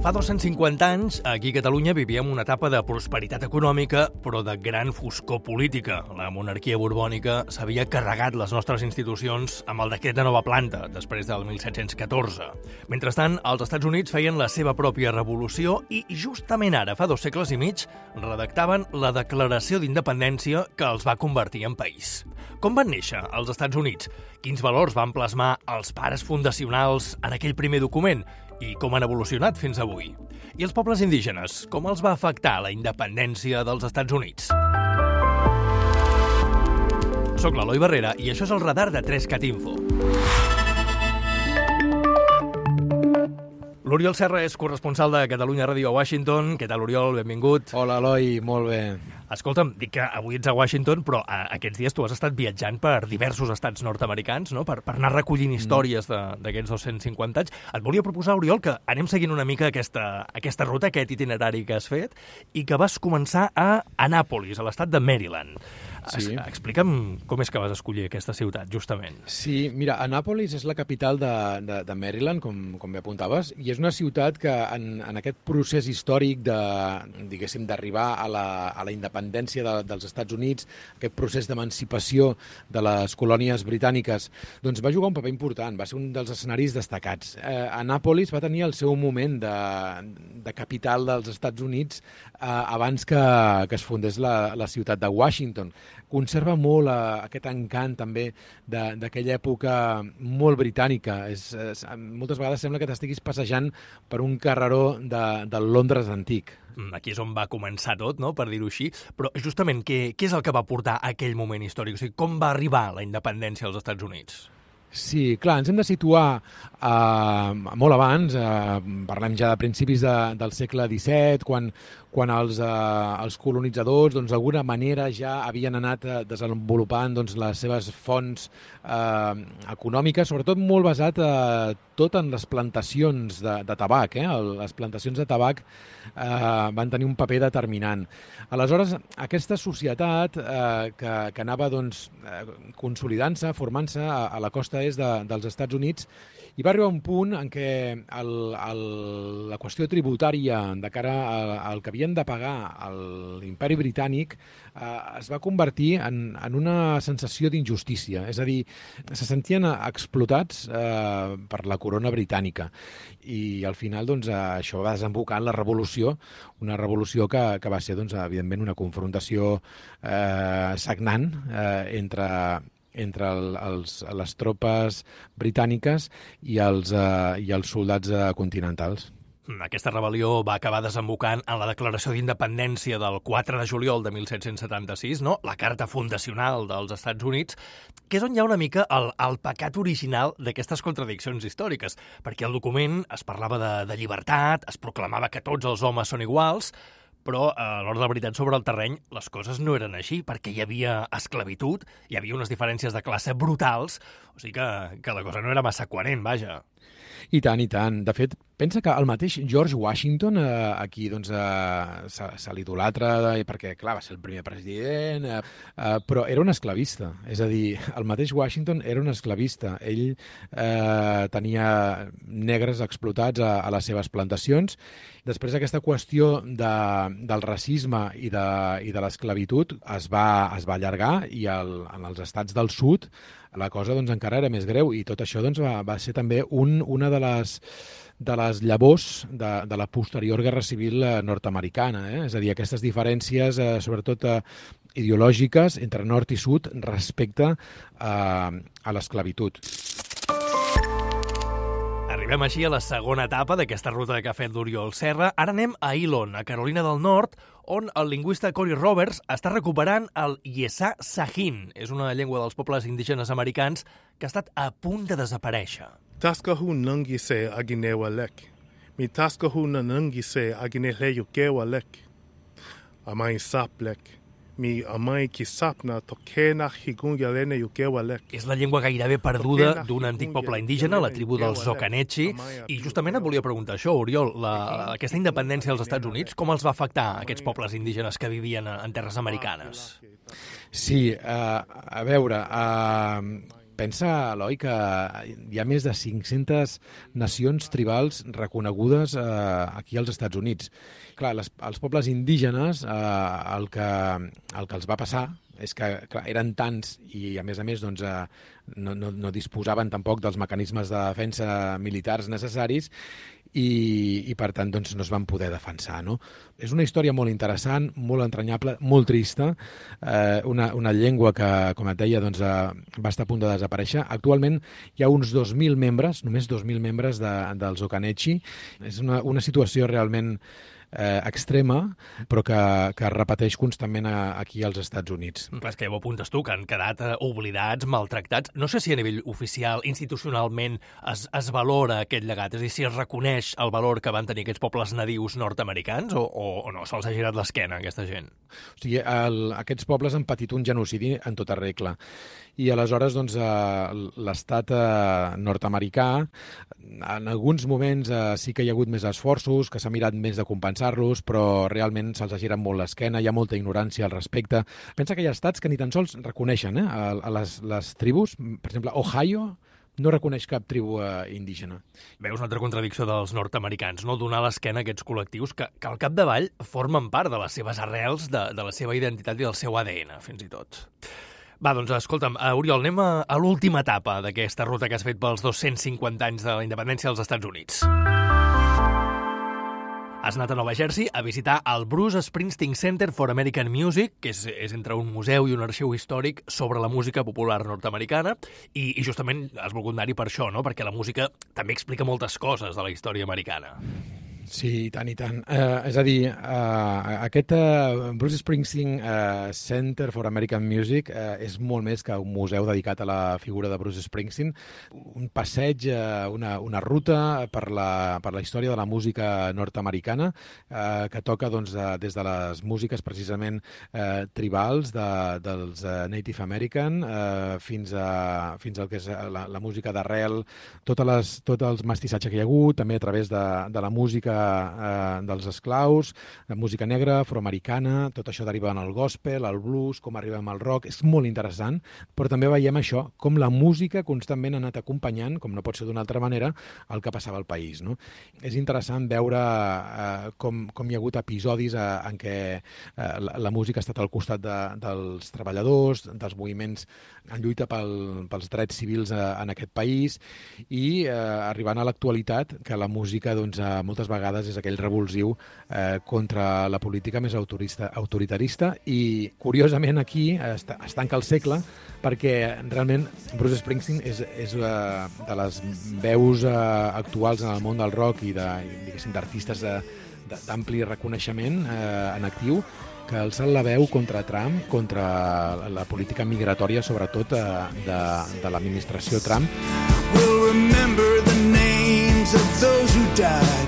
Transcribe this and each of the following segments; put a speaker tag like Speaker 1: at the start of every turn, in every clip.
Speaker 1: Fa 250 anys, aquí a Catalunya vivíem una etapa de prosperitat econòmica, però de gran foscor política. La monarquia borbònica s'havia carregat les nostres institucions amb el decret de nova planta, després del 1714. Mentrestant, els Estats Units feien la seva pròpia revolució i justament ara, fa 2 segles i mig, redactaven la Declaració d'Independència que els va convertir en país. Com van néixer els Estats Units? Quins valors van plasmar els pares fundacionals en aquell primer document? I com han evolucionat fins avui? I els pobles indígenes, com els va afectar la independència dels Estats Units? Soc l'Eloi Barrera i això és el radar de 3cat Info. L'Oriol Serra és corresponsal de Catalunya Ràdio a Washington. Què tal, Oriol? Benvingut.
Speaker 2: Hola, Eloi. Molt bé.
Speaker 1: Escolta'm, dic que avui ets a Washington, però aquests dies tu has estat viatjant per diversos estats nord-americans, no? Per anar recollint històries d'aquests 250 anys. Et volia proposar, Oriol, que anem seguint una mica aquesta ruta, aquest itinerari que has fet, i que vas començar a Annapolis, a l'estat de Maryland.
Speaker 2: Sí.
Speaker 1: Explica'm com és que vas escollir aquesta ciutat, justament.
Speaker 2: Sí, mira, Annapolis és la capital de Maryland, com bé apuntaves, i és una ciutat que en aquest procés històric d'arribar a la independència dels Estats Units, aquest procés d'emancipació de les colònies britàniques, doncs va jugar un paper important, va ser un dels escenaris destacats. Annapolis va tenir el seu moment de capital dels Estats Units abans que es fundés la ciutat de Washington. Conserva molt aquest encant també d'aquella època molt britànica. Moltes vegades sembla que t'estiguis passejant per un carreró del Londres antic.
Speaker 1: Aquí és on va començar tot, no?, per dir-ho així. Però justament, què és el que va portar a aquell moment històric? O sigui, com va arribar la independència als Estats Units?
Speaker 2: Sí, clar, ens hem de situar molt abans, parlem ja de principis del segle XVII, quan els colonitzadors d'alguna manera ja havien anat desenvolupant les seves fonts econòmiques, sobretot molt basat tot en les plantacions de tabac. Les plantacions de tabac van tenir un paper determinant. Aleshores, aquesta societat que anava consolidant-se, formant-se a la costa est dels Estats Units, i va arribar un punt en què la qüestió tributària de cara al que havien de pagar a l'imperi britànic es va convertir en una sensació d'injustícia. És a dir, se sentien explotats per la corona britànica. I al final això va desembocar en la revolució, una revolució que va ser, evidentment, una confrontació sagnant entre les tropes britàniques i els soldats continentals.
Speaker 1: Aquesta rebel·lió va acabar desembocant en la Declaració d'Independència del 4 de juliol de 1776, no? La Carta Fundacional dels Estats Units, que és on hi ha una mica el pecat original d'aquestes contradiccions històriques, perquè al document es parlava de llibertat, es proclamava que tots els homes són iguals, però a l'hora de la veritat sobre el terreny les coses no eren així, perquè hi havia esclavitud, hi havia unes diferències de classe brutals, o sigui que la cosa no era massa coherent, vaja.
Speaker 2: I tant, i tant. De fet, pensa que el mateix George Washington, aquí se l'idolatra perquè, clar, va ser el primer president, però era un esclavista. És a dir, el mateix Washington era un esclavista. Ell tenia negres explotats a les seves plantacions. Després aquesta qüestió del racisme i de l'esclavitud es va allargar i en els estats del sud la cosa encara era més greu i tot això va ser també una de les llavors de la posterior Guerra Civil nord-americana. És a dir, aquestes diferències, sobretot ideològiques, entre nord i sud respecte a l'esclavitud.
Speaker 1: Arribem així a la segona etapa d'aquesta ruta que ha fet l'Oriol Serra. Ara anem a Elon, a Carolina del Nord, on el lingüista Corey Roberts està recuperant el Yesà Sahin. És una llengua dels pobles indígenes americans que ha estat a punt de desaparèixer.
Speaker 3: Taskahu nangise aginewalek. Mi taskahu nangise agineleyukewalek. Amai saplek. Mi amai kisapna tokena higunyalene yukewalek.
Speaker 1: És la llengua gairebé perduda d'un antic poble indígena, la tribu dels Zocanechi, i justament et volia preguntar això, Oriol, aquesta independència dels Estats Units, com els va afectar aquests pobles indígenes que vivien en terres americanes?
Speaker 2: Sí, a veure, pensa, Eloi, que hi ha més de 500 nacions tribals reconegudes aquí als Estats Units. Clar, els pobles indígenes, el que els va passar és que clar, eren tants i, a més, doncs, no disposaven tampoc dels mecanismes de defensa militars necessaris i per tant, doncs, no es van poder defensar, no? És una història molt interessant, molt entranyable, molt trista, una llengua que, com et deia, doncs, va estar a punt de desaparèixer. Actualment hi ha uns 2.000 membres, només 2.000 membres dels Occaneechi. És una situació realment extrema, però que es repeteix constantment aquí als Estats Units.
Speaker 1: Clar, és que ja ho apuntes tu, que han quedat oblidats, maltractats. No sé si a nivell oficial, institucionalment, es valora aquest llegat, és a dir, si es reconeix el valor que van tenir aquests pobles nadius nord-americans o no, se'ls ha girat l'esquena, aquesta gent.
Speaker 2: O sigui, aquests pobles han patit un genocidi en tota regla. I aleshores, doncs, l'estat nord-americà, en alguns moments sí que hi ha hagut més esforços, que s'ha mirat més de compensar-los, però realment se'ls ha girat molt l'esquena, hi ha molta ignorància al respecte. Pensa que hi ha estats que ni tan sols reconeixen a les tribus. Per exemple, Ohio no reconeix cap tribu indígena.
Speaker 1: Veus una altra contradicció dels nord-americans, no? Donar l'esquena a aquests col·lectius que al capdavall formen part de les seves arrels, de la seva identitat i del seu ADN, fins i tot. Va, doncs, escolta'm, Oriol, anem a l'última etapa d'aquesta ruta que has fet pels 250 anys de la independència dels Estats Units. Has anat a Nova Jersey a visitar el Bruce Springsteen Center for American Music, que és entre un museu i un arxiu històric sobre la música popular nord-americana, i justament has volgut anar-hi per això, no? Perquè la música també explica moltes coses de la història americana.
Speaker 2: Sí, i tant, i tant. És a dir, aquest Bruce Springsteen Center for American Music és molt més que un museu dedicat a la figura de Bruce Springsteen, un passeig, una ruta per la història de la música nord-americana, que toca doncs, des de les músiques precisament tribals dels Native American fins al que és la música d'arrel, tots els mestissatges que hi ha hagut, també a través de la música dels esclaus, música negra, afroamericana, tot això deriva en el gospel, el blues, com arribem al rock. És molt interessant, però també veiem això, com la música constantment ha anat acompanyant, com no pot ser d'una altra manera, el que passava al país, no? És interessant veure com hi ha hagut episodis en què la música ha estat al costat dels treballadors, dels moviments en lluita pels drets civils en aquest país i arribant a l'actualitat, que la música doncs, moltes vegades és aquell revulsiu contra la política més autoritarista i, curiosament, aquí es tanca el segle perquè realment Bruce Springsteen és de les veus actuals en el món del rock i d'artistes d'ampli reconeixement en actiu que alcen la veu contra Trump, contra la política migratòria, sobretot de l'administració Trump. We'll remember the names of those who died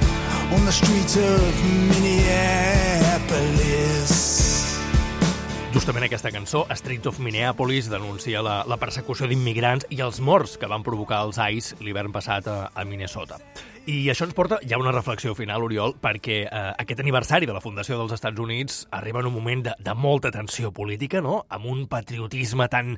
Speaker 2: on the streets of Minneapolis.
Speaker 1: Justament aquesta cançó, Streets of Minneapolis, denuncia la persecució d'immigrants i els morts que van provocar els ICE l'hivern passat a Minnesota. I això ens porta ja a una reflexió final, Oriol, perquè aquest aniversari de la fundació dels Estats Units arriba en un moment de molta tensió política, no? Amb un patriotisme tan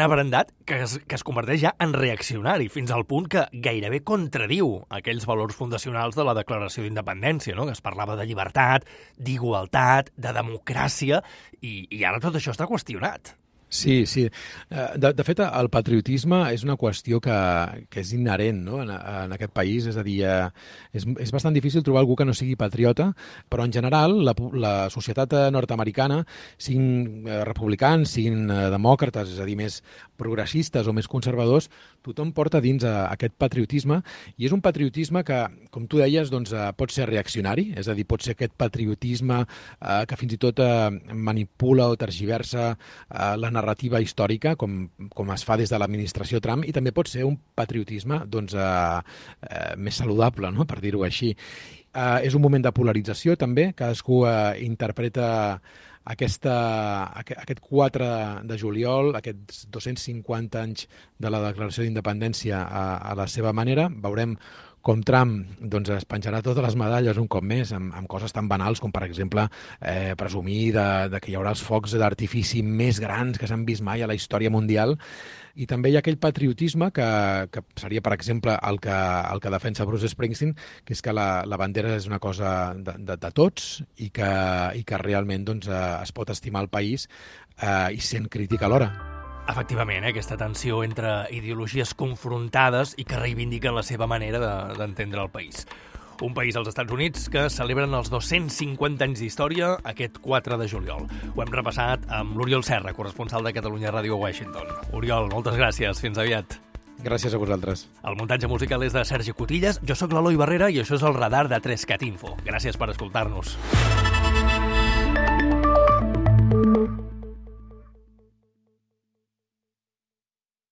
Speaker 1: abrandat que es converteix ja en reaccionari, fins al punt que gairebé contradiu aquells valors fundacionals de la Declaració d'Independència, no? Que es parlava de llibertat, d'igualtat, de democràcia, i ara tot això està qüestionat.
Speaker 2: Sí, sí. De fet, el patriotisme és una qüestió que és inherent, no? en aquest país. És a dir, és bastant difícil trobar algú que no sigui patriota, però en general la societat nord-americana, siguin republicans, siguin demòcrates, és a dir, més progressistes o més conservadors, tothom porta dins aquest patriotisme, i és un patriotisme que, com tu deies, doncs, pot ser reaccionari, és a dir, pot ser aquest patriotisme que fins i tot manipula o tergiversa la narrativa històrica, com es fa des de l'administració Trump, i també pot ser un patriotisme doncs, més saludable, no? Per dir-ho així. És un moment de polarització, també. Cadascú interpreta aquest 4 de juliol, aquests 250 anys de la Declaració d'Independència a la seva manera. Veurem com Trump doncs, es penjarà totes les medalles un cop més amb coses tan banals com, per exemple, presumir de que hi haurà els focs d'artifici més grans que s'han vist mai a la història mundial. i també hi ha aquell patriotisme que seria, per exemple, el que defensa Bruce Springsteen, que és que la bandera és una cosa de tots i que realment doncs, es pot estimar el país i sent crític alhora.
Speaker 1: Efectivament, aquesta tensió entre ideologies confrontades i que reivindiquen la seva manera d'entendre el país. Un país als Estats Units que celebren els 250 anys d'història aquest 4 de juliol. Ho hem repassat amb l'Oriol Serra, corresponsal de Catalunya Ràdio a Washington. Oriol, moltes gràcies. Fins aviat.
Speaker 2: Gràcies a vosaltres.
Speaker 1: El muntatge musical és de Sergi Cotillas, jo sóc l'Eloi Barrera i això és el Radar de 3CAT Info. Gràcies per escoltar-nos.